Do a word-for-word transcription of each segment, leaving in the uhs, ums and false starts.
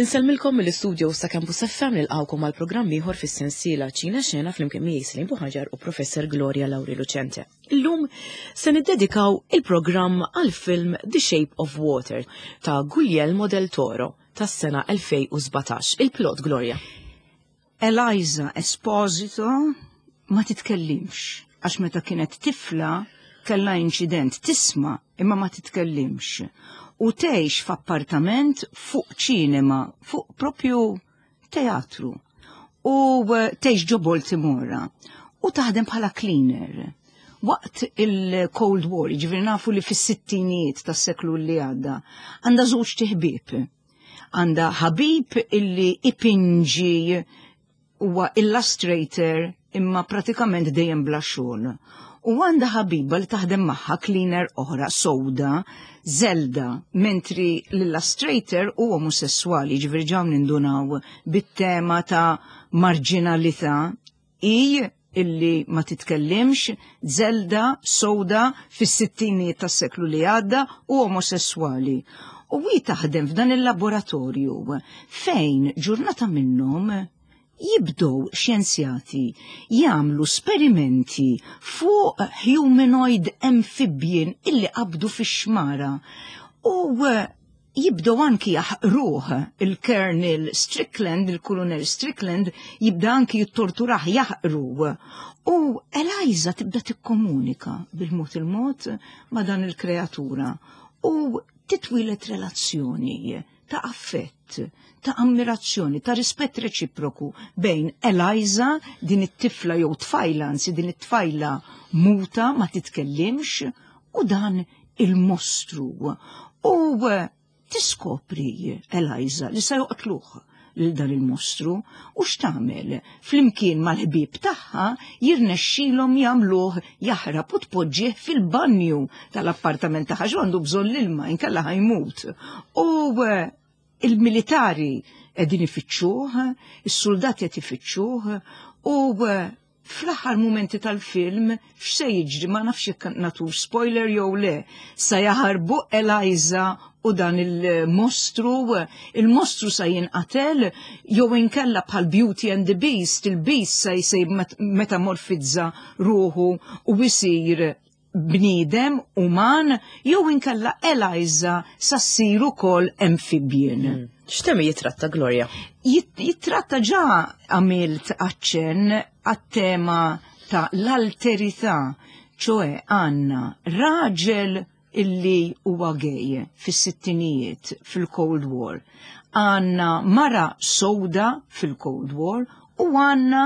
Insellmilkom mill-istudio sa' Campus F M, nilqgħukom għal programm ieħor fis-sensiela Ċina Xena flimkien miegħi Celine Buhagiar u Professor Gloria Lauri Lucente. Illum se niddedikaw il-programm għal film The Shape of Water ta' Guglielmo del Toro tas-sena elfejn u sbatax. Il-plot, Gloria. Eliza Esposito ma titkellimx, għax meta kienet tifla kellha inċident, tisma' imma ma titkellimx. U tgħix f'appartament fuq ċinema, fuq propju teatru. U eh, tgħix ġo Baltimora. U taħdem bħala cleaner. Waqt il-Cold War, ġifieri nafu li fis-sittinijiet tas-seklu li għadda, għandha żewġt iħbieb. Għandha ħabib illi ipinġi, huwa illustrator imma pratikament dejjem bla xogħol. U għandha ħabiba li taħdem magħha, cleaner oħra sowda, Zelda, mentri l-illustrator u omosessuali, ġifieri ġa nindunaw bit-tema ta' marginalità i illi ma titkellimx, Zelda sowda fis-sittinijiet tas-seklu li għadda u omosessuali. U hi taħdem f'dan il-laboratorju fejn ġurnata minnhom jibdow xjenzjati jagħmlu sperimenti fuq humanoid amphibian illi qabdu fix-xmara u eh, jibdow anki jaħqruh il-Colonel Strickland, il-Colonel Strickland jibda anki jittorturah, jaħqru. U Eliza tibda tikkomunika bil-mod il-mod ma' dan il-kreatura u titwilet relazzjoni ta' affett, ta' ammirazzjoni, ta' rispett reċiproku bejn Eliza, din it-tifla jew tfajla, anzi din it-tfajla muta ma titkellimx, u dan il-mostru. U eh, tiskopri Eliza li se joqtluh lil dan il-mostru u x'tagħmel? Flimkien mal-ħbieb tagħha jirnexxilhom jagħmluh jaħrab u tpoġġih fil-banju tal-appartament tagħha għax għandu bżonn l-ilma, inkella ħa jmut. U eh, il-militari qegħdin ifittxuh, is-soldati qed ifittxuh u eh, fl-aħħar momenti tal-film x'se jiġri, ma nafx jekk nagħtux spoiler jew le, sa jaħarbu Eliza u dan il-mostru, il-mostru sa jinqatel jew inkella bħal Beauty and the Beast, il-Beast sa jsejb metamorfizza ruħu u jsir bniedem uman jew inkella Eliza sa ssir ukoll amphibian. Hmm. X'temi jitratta, Gloria? Jittratta, ġa għamilt aċċenn għat-tema ta' l-alterità, ċoè għandna raġel illi huwa gay fis-sittinijiet fil-Cold War. Għandna mara sowda fil-Cold War u għandna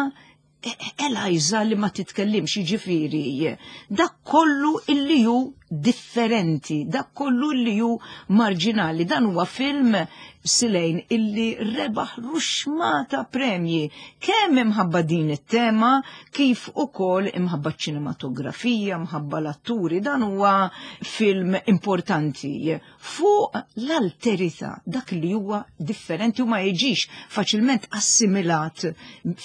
Eliza li ma titkellimx, jiġifieri dak kollu illi hu differenti, dak kollu illi hu marġinali. Dan huwa film, Celine, illi rebaħ ruxmata premji kemm imħabba din it-tema kif ukoll imħabba ċinematografija, imħabba l-atturi. Dan huwa film importanti fuq l-alterità, dak li huwa differenti u ma jiġix faċilment assimilat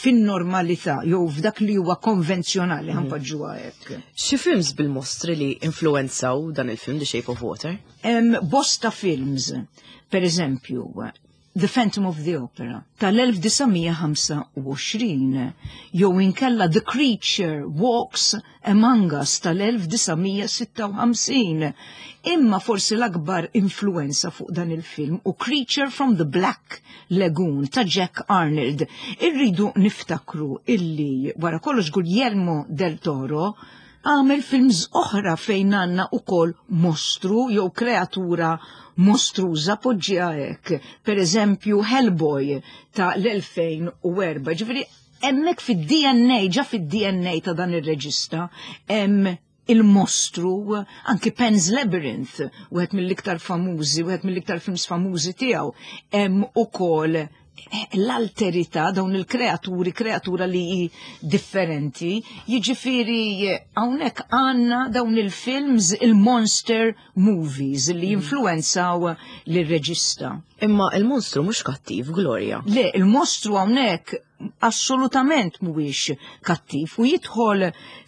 fin-normalità jew f'dak li huwa konvenzjonali, ħa npoġġuha hekk. Xi films bil-mostri li influenzaw dan il-film The Shape of Water? Em, bosta films, per eżempju, The Phantom of the Opera tal-elf disa' mija ħamsa u għoxrin jew inkella The Creature Walks Among Us tal-elf disa' mija sitta u ħamsin. Imma forsi l-akbar influenza fuq dan il-film hu Creature from the Black Lagoon ta' Jack Arnold. Irridu niftakru illi wara kollox Guglielmo del Toro għamel films oħra fejn għandna ukoll mostru jew kreatura mostruża, poġġiha hekk. Per eżempju Hellboy ta' l-elfejn u erbgħa. Ġifieri hemmhekk fid-D N A, ġa fid-D N A ta' dan ir-reġista, hemm il-mostru, anki Pan's Labyrinth, wieħed mill-iktar famużi, wieħed mill-iktar films famużi tiegħu, hemm ukoll l-alterità, dawn il-kreaturi, kreatura li hi differenti, jiġifieri hawnhekk għandna dawn il-films, il-monster movies li jinfluenzaw l-reġista. Imma il-monstru mhux kattiv, Gloria. Le, il-mostru hawnhekk Assolutament mhuwiex kattiv u jidħol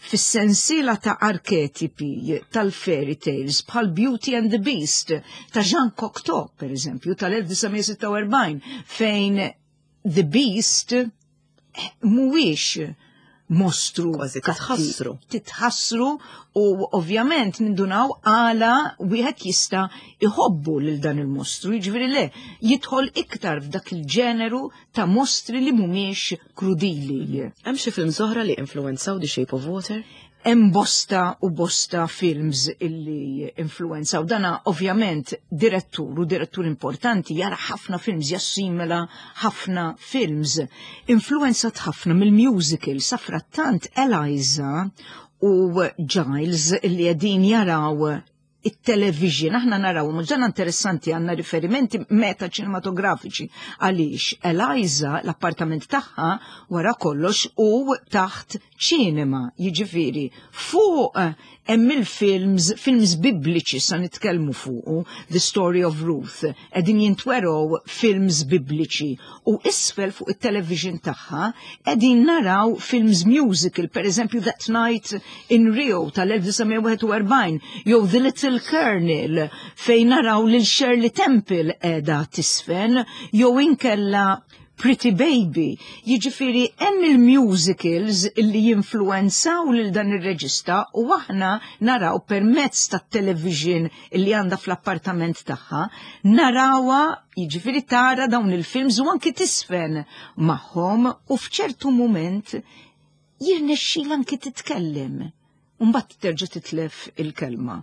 fis-sensiela ta' arketipi tal-fairy tales bħal Beauty and the Beast ta' Jean Cocteau, per eżempju, tal-elf disa' mija sitta u erbgħin, fejn The Beast mhuwiex mostru Kważi kattiv. titħassru. Titħassru u ovvjament nindunaw għala wieħed jista' iħobbu lil dan il-mostru, jiġifieri le, jidħol iktar f'dak il-ġeneru ta' mostri li mhumiex krudili. Hemm xi films oħra li influenzaw The Shape of Water? Hemm bosta u bosta films illi influenzaw. Dana ovvjament direttur u direttur importanti jara ħafna films, jassimila ħafna films. Influenzat ħafna mill-musical, safrattant Eliza u Giles illi qegħdin jaraw it-television, aħna naraw, ma ġana interessanti għanna riferimenti meta ċinematografiċi għaliex Eliza l-appartament tagħha wara kollox u taħt ċinema, jiġifieri fuq hemm il-films, films bibliċi sa nitkellmu fuqu, The Story of Ruth, qegħdin jintwerow films bibliċi u isfel fuq it-television tagħha qegħdin naraw films musical, per eżempju That Night in Rio tal-elf disa' mija wieħed u erbgħin, jew The Little Colonel fejn naraw lil Shirley Temple qiegħda tisfen, jew inkella Pretty Baby. Jiġifieri hemm il-musicals illi jinfluenzaw lil dan ir-reġista u aħna naraw permezz tat-television illi għandha fl-appartament tagħha, narawha, jiġifieri tara dawn il-films u anki tisfen magħhom u f'ċertu mument jirnexxilha anki titkellem. U mbagħad terġa' titlef il-kelma.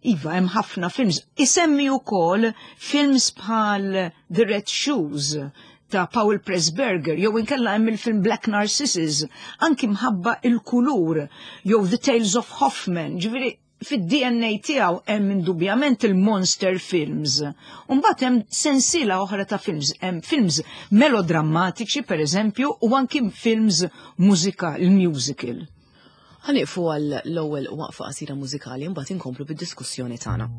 Iva, hemm ħafna films. Isemmi wkoll films bħal The Red Shoes ta' Paul Pressburger, jew inkella hemm il-film Black Narcissus, anki mħabba il-kulur, jew The Tales of Hoffman, ġifieri fid-D N A tiegħu hemm indubjament il-monster films. U mbagħad hemm sensiela oħra ta' films, hemm films melodrammatiċi per eżempju, u anki films mużika, il-musical. Ħaniqfu għal l-ewwel waqfa qasira mużikali mbagħad inkomplu bid-diskussjoni tagħna.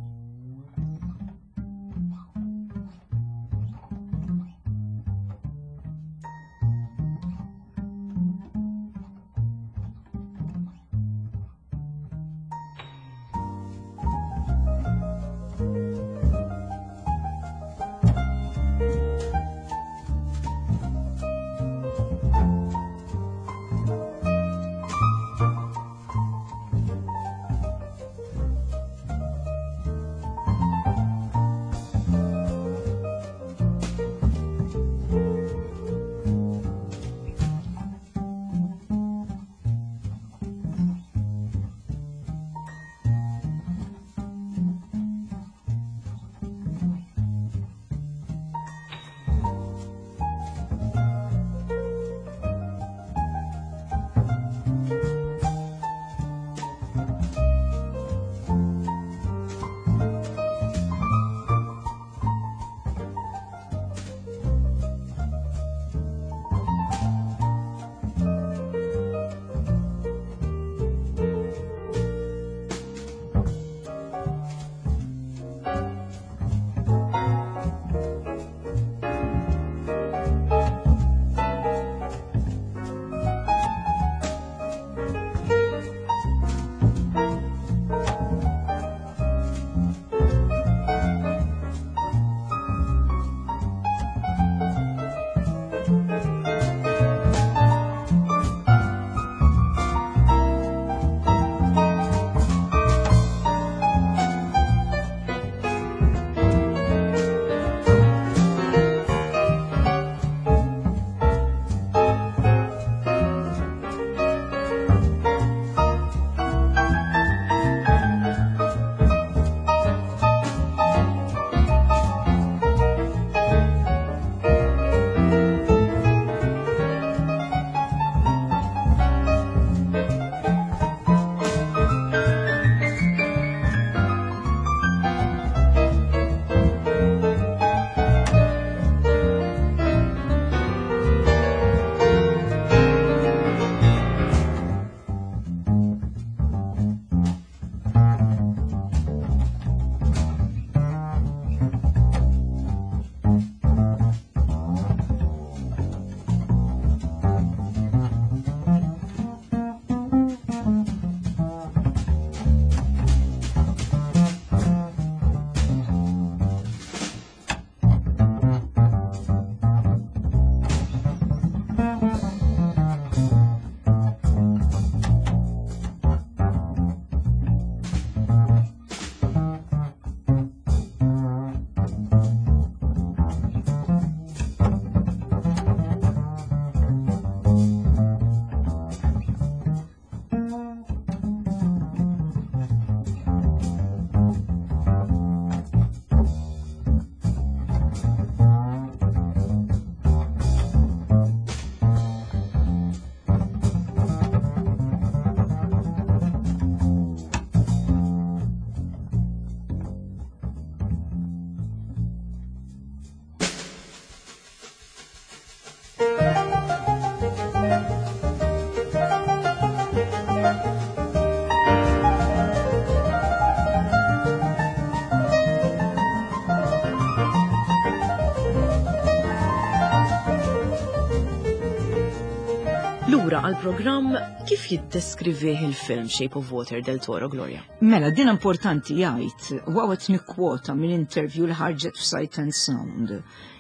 Lura għal-programm, kif jiddeskrivih il-film Shape of Water Del Toro, Gloria? Mela, din importanti. Jgħid, u hawn nikkwota minn interview li ħarġet f'Sight and Sound.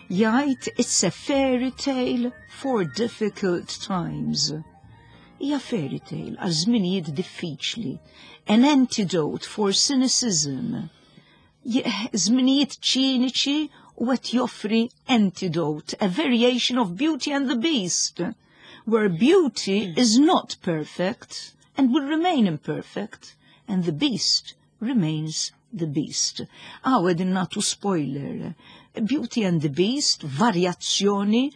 Jgħid, "It's a fairy tale for difficult times." Hija fairy tale għal żminijiet diffiċli. An antidote for cynicism. Żminijiet ċiniċi u qed joffri antidote, a variation of Beauty and the Beast, where beauty is not perfect and will remain imperfect, and the beast remains the beast. Hawn qegħdin nagħtu spoiler. Beauty and the Beast, varjazzjoni,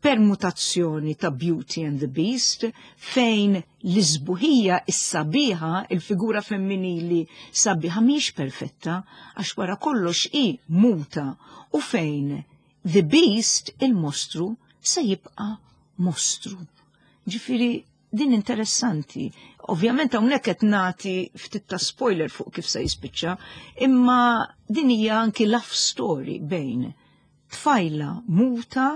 permutazzjoni ta' Beauty and the Beast, fejn l-isbuħija is-sabiħa, il-figura femminili sabiħa mhix perfetta, għax wara kollox hi muta, u fejn the Beast, il-mostru, se jibqa' mostru. Ġifieri, din interessanti. Ovvjament hawnhekk qed nagħti ftit ta' spoiler fuq kif se jispiċċa, imma din hija anki love story bejn tfajla muta,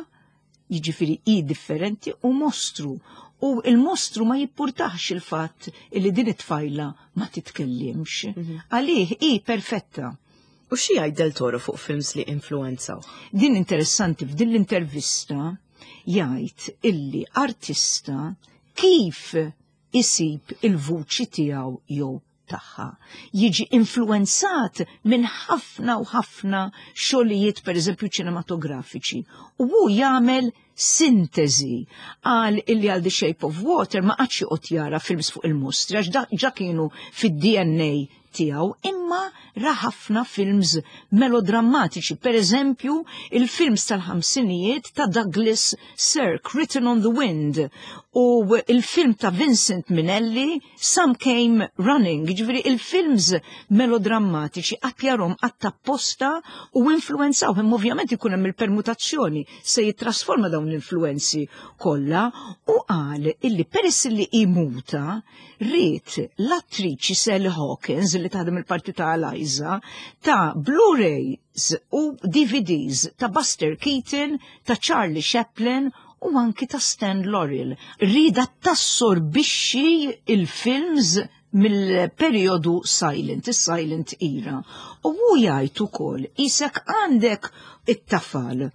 jiġifieri hi differenti, u mostru. U il-mostru ma jimpurtahx il-fatt li din it-tfajla ma titkellimx. Għalih hi perfetta. U xi jgħid Del Toro fuq films li influenzaw? Din interessanti, f'din l-intervista jgħid illi artista kif isib il-vuċi tiegħu jew tagħha. Jiġi influenzat minn ħafna u ħafna xogħlijiet, per eżempju ċinematografiċi. U hu jagħmel sintesi għal illi għal The Shape of Water ma qagħadx joqgħod jara films fuq il-mostri għax ġa kienu fid-D N A tiegħu, imma ra ħafna films melodrammatiċi, per eżempju il-films tal-ħamsinijiet ta' Douglas Sirk, Written on the Wind, u il-film ta' Vincent Minnelli, Some Came Running, ġifieri il-films melodrammatiċi qagħad jarahom apposta u influenzaw, imma ovvjament ikun hemm il-permutazzjoni, se jittrasforma dawn l-influenzi kollha. U qal illi peress li hi muta, ried l-attriċi Sally Hawkins li taħdem il-parti ta' Eliza ta' Blu-rays u D V Ds ta' Buster Keaton, ta' Charlie Chaplin u anki ta' Stan Laurel. Riedha tassorbixxi il-films mill-periodu silent, il-silent era. U hu jgħid ukoll isek għandek it-tafal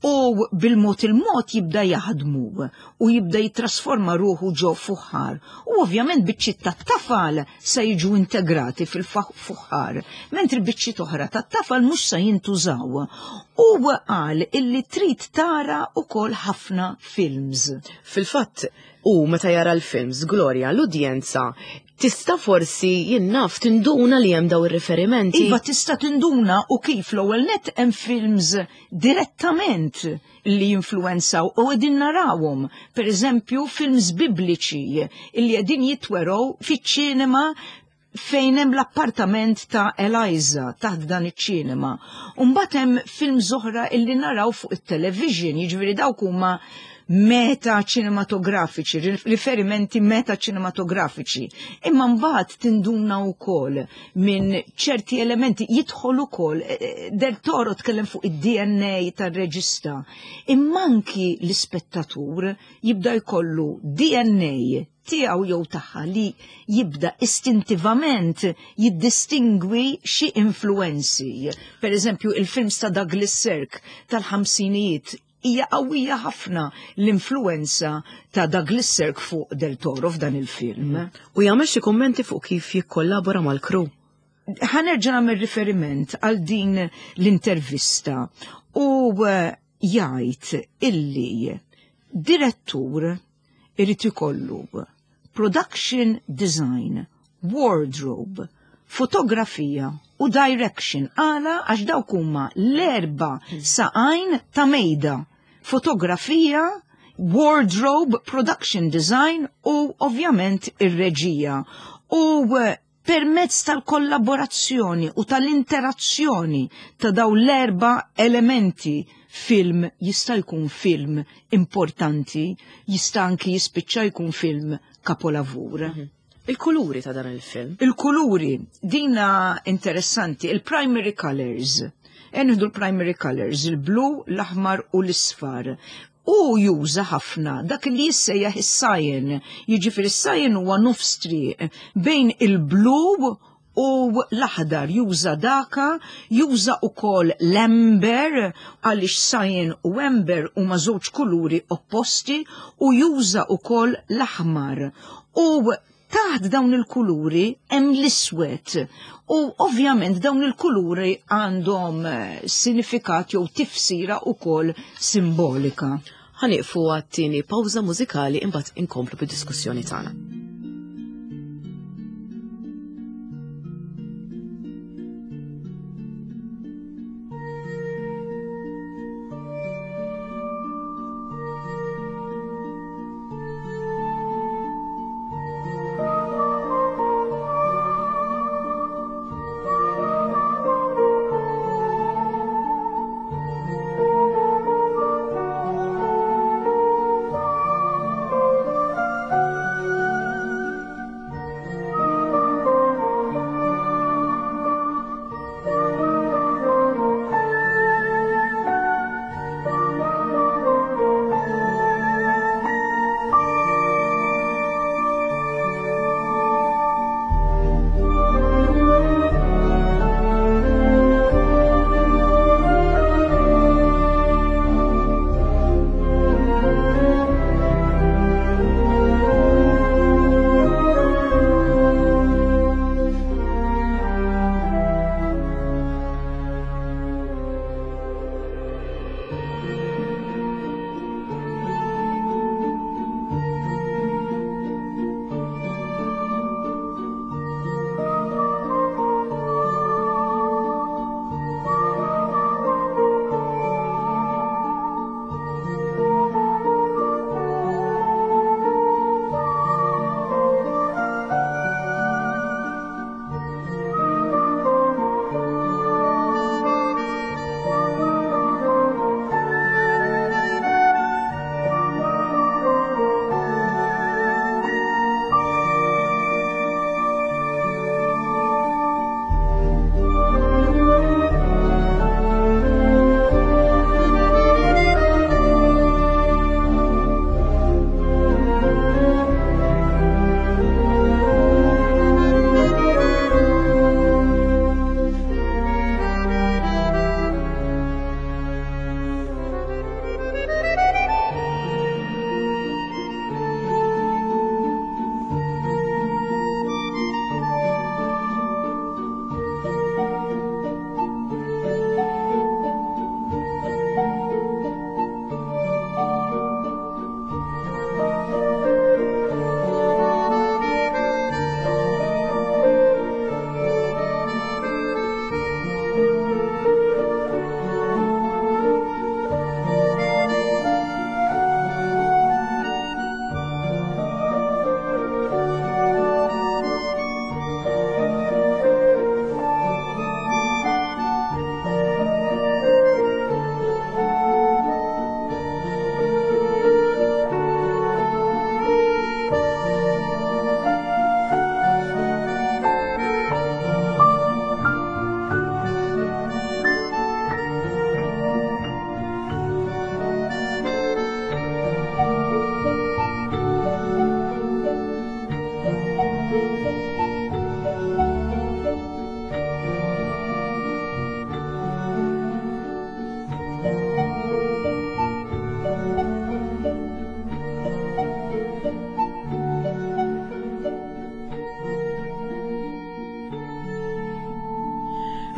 u bil-mod il-mod jibda jaħdmu u jibda jitrasforma ruħu ġo fuħħar. U ovvjament biċċiet tat-tafal se jiġu integrati fil-fuħħar, mentri biċċiet oħra tat-tafal mhux se jintużaw. U qal illi trid tara ukoll ħafna films. Fil-fatt, u meta jara l-films, Gloria, l-udjenza tista' forsi jinnaf tinduna li hemm daw ir-riferimenti. Iva, tista' tinduna, u kif. L-ewwel net hemm films direttament li jinfluenzaw u qegħdin narawhom. Per eżempju, films bibliċi li qegħdin jitwerow fiċ-ċinema fejn hemm l-appartament ta' Eliza taħt dan iċ-ċinema. Mbagħad hemm films oħra illi naraw fuq it-television, jiġifieri dawk huma meta ċinematografiċi, riferimenti meta ċinematografiċi. Imma mbagħad tinduna wkoll minn ċerti elementi jidħol ukoll eh, eh, Del Toro tkellem fuq id-D N A tar-reġista. Imma anki l-ispettatur jibda jkollu D N A tiegħu jew tagħha li jibda istintivament jiddistingwi xi influenzi. Per eżempju, il-films ta' Douglas Sirk tal-ħamsinijiet, hija qawwija ħafna l-influenza ta' Douglas Sirk fuq Del Toro f'dan il-film. U jagħmel xi kummenti fuq kif jikkollabora mal-crew. Ħa nerġa' nagħmel riferiment għal din l-intervista u eh, jgħid illi direttur irid ikollu production design, wardrobe, fotografija u direction. Għala? Għax dawk huma l-erba saqajn ta' mejda. Fotografija, wardrobe, production design u ovvjament ir-reġija. U eh, permezz tal-kollaborazzjoni u tal-interazzjoni ta' daw l-erba elementi, film jista' jkun film importanti, jista' anki jispiċċa jkun film kapolavur. Il-kuluri ta' dan il-film. Il-kuluri, dina interessanti, il-primary colors. Nieħdu l-primary colors, il-blu, l-aħmar u l-isfar. U juża ħafna dak li jissejjaħ is-cyan, jiġifieri is-cyan huwa nofs triq bejn il-blu u l-aħdar, juża daka, juża ukoll l-amber, għaliex cyan u amber huma żewġ kuluri opposti, u juża ukoll l-aħmar. U taħt dawn il-kuluri hemm l-iswed. U ovvjament dawn il-kuluri għandhom sinifikat jew tifsira ukoll simbolika. Ħa nieqfu għat-tieni pawża mużikali imbagħad inkomplu bid-diskussjoni tagħna.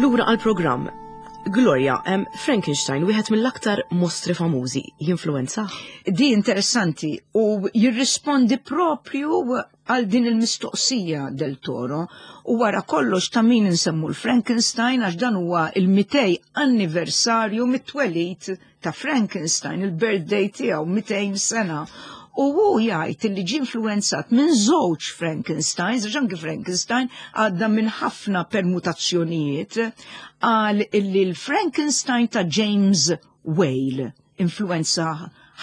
Lura għal-programm. Gloria, um, Frankenstein, wieħed mill-aktar mostri famużi, jinfluwenza? Di interessanti u jirrispondi propju għal din il-mistoqsija del Toro u wara kollox ta' min insemmu l-Frankenstein għax dan huwa il-mitej anniversarju mit-twelid ta' Frankenstein, il-birthday tiegħu mitejn sena. U hu jgħid li ġie influenzat minn żewġ Frankensteins, għax anki Frankenstein għadda minn ħafna permutazzjonijiet, għal illi l-Frankenstein ta' James Whale influenza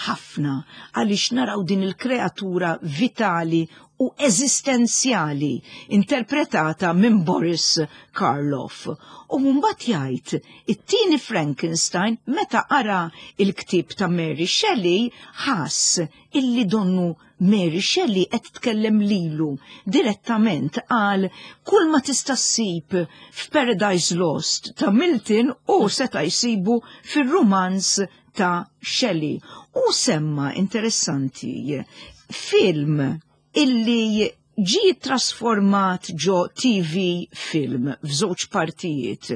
ħafna, għaliex naraw din il-kreatura vitali u eżistenzjali interpretata minn Boris Karloff. U mbagħad jgħid it-tieni Frankenstein meta qara il-ktieb ta' Mary Shelley ħass illi donnu Mary Shelley qed tkellem lilu direttament, għal kull ma tista' ssib f'Paradise Lost ta' Milton u seta' jsibu fir-rumanz ta' Shelley. U semma interessanti film illi ġi trasformat ġo T V film f'żewġ partijiet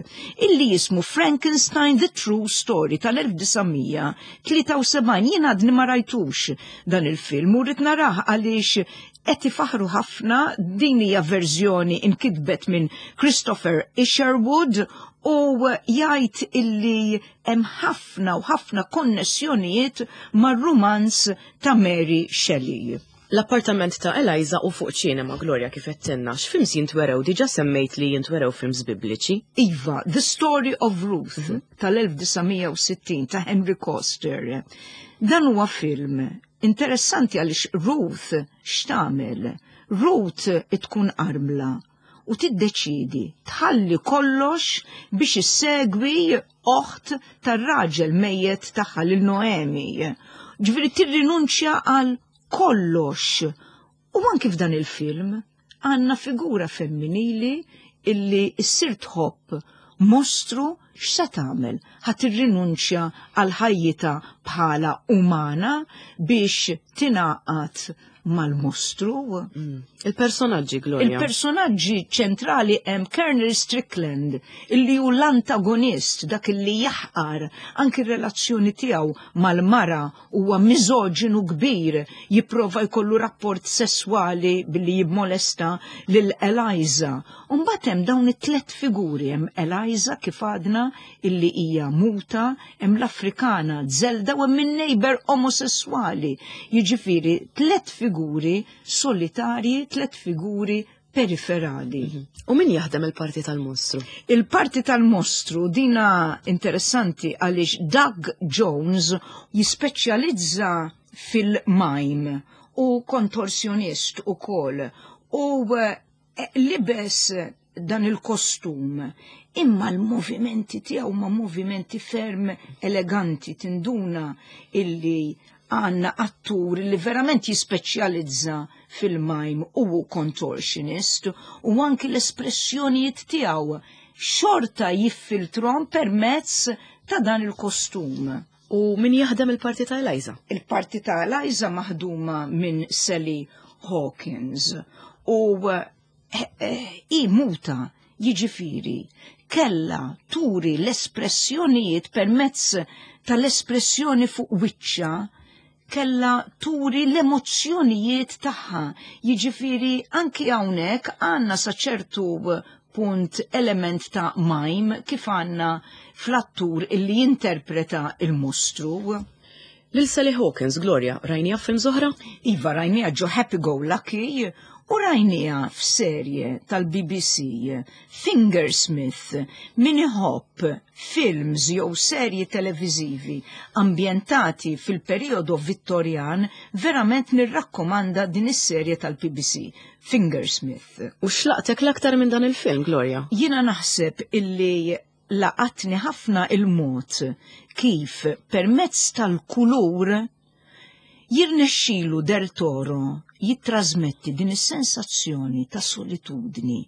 illi jismu Frankenstein: The True Story tal-elf disa' mija tlieta u sebgħin. Jien għadni ma rajtux dan il-film u rrid narah għaliex qed ifaħru ħafna. Din hija verżjoni inkitbet minn Christopher Isherwood u jgħid illi hemm ħafna u ħafna konnessjonijiet mar-rumanz ta' Mary Shelley. L-appartament ta' Eliza u fuq ċinema, Gloria, kif għedtilna, x'films jintwerew? Diġà semmejt li jintwerew films bibliċi. Iva, The Story of Ruth mm -hmm. tal-elf disa' mija u sittin ta' Henry Koster. Dan huwa film interessanti għaliex Ruth x'tagħmel? Ruth tkun armla u tiddeċidi tħalli kollox biex issegwi oħt tar-raġel mejjet tagħha lil Noemi. Ġifieri tirrinunċja għal kollox. U anki f'dan il-film għandna figura femminili illi ssir tħobb mostru. X'se tagħmel? Ħa tirrinunċja għal ħajjita bħala umana biex tingħaqad mal-mostru? Mm. Il-personaġġi, Gloria. Il-personaġġi ċentrali hemm Colonel Strickland, illi hu l-antagonist, dak illi jaħqar anki r-relazzjoni tiegħu mal-mara, huwa miżoġinu kbir, jipprova jkollu rapport sesswali billi jimmolesta lil Eliza. Mbagħad hemm dawn it-tlet figuri: hemm Eliza, kif għadna, illi hija muta, hemm l-Afrikana Zelda u hemm in-neighbor omosessuali. Jiġifieri tlet figuri solitarji, tlet figuri periferali. Mhm. U min jaħdem il-parti tal-mostru? Il-parti tal-mostru dina interessanti għaliex Doug Jones jispeċjalizza fil-mime u kontorsjonist u kol u eh, libes dan il-kostum, imma l-movimenti tiegħu ma movimenti ferm eleganti, tinduna illi għandna attur li verament jispeċjalizza fil-mime u contortionist, u anki l-espressjonijiet tiegħu xorta jiffiltrom permezz ta' dan il-kostum. U min jaħdem il-parti ta' Eliza? Il-parti ta' Eliza maħduma minn Sally Hawkins u eh, eh, i muta, jiġifieri kella turi l-espressjonijiet permezz tal-espressjoni fuq wiċċa, kella turi l-emozzjonijiet tagħha. Jiġifieri anki hawnhekk għandna sa ċertu punt element ta' mime kif għandna fl-attur illi jinterpreta il-mostru. Lil Sally Hawkins, Gloria, rajnieha f'films oħra? Iva, rajnieha ġo Happy Go Lucky u rajnieha f'serje tal-B B C, Fingersmith. Min iħobb films jew serji televizivi ambjentati fil-periodu Vittorjan, verament nirrakkomanda din is-serje tal-B B C, Fingersmith. U x'laqtek l-aktar minn dan il-film, Gloria? Jiena naħseb illi laqatni ħafna il-mod kif permezz tal-kulur jirnexxilu Del Toro jittrasmetti din is-sensazzjoni ta' solitudni,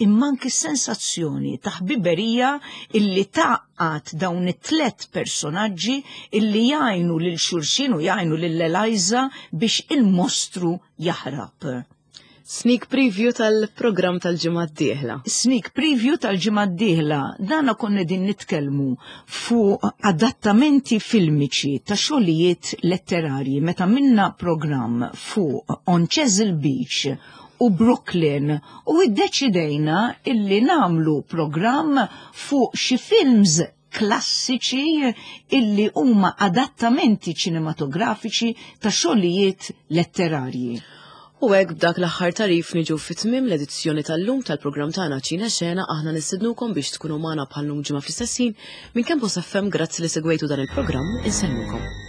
imma anki sensazzjoni ta' ħbiberija illi tgħaqqad dawn it-tlet personaġġi illi jgħinu lil xulxin u jgħinu lil Eliza biex il-mostru jaħrab. Sneak preview tal-programm tal-ġimgħa d-dieħla. Sneak preview tal-ġimgħa d-dieħla. Dana konna din nitkellmu fuq adattamenti filmiċi ta' xogħlijiet letterarji meta minna programm fuq On Chesil Beach u Brooklyn, u iddeċidejna illi nagħmlu programm fuq xi films klassiċi illi huma adattamenti ċinematografiċi ta' xogħlijiet letterarji. U hekk b'dak l-aħħar tarif niġu fit-tmiem l-edizzjoni tal-lum tal-programm tagħna Ċine Xena. Aħna nistednukom biex tkunu magħna bħal-lum ġimgħa fl-istess ħin minn Campus F M. Grazzi li segwejtu dan il-programm, insellmukom.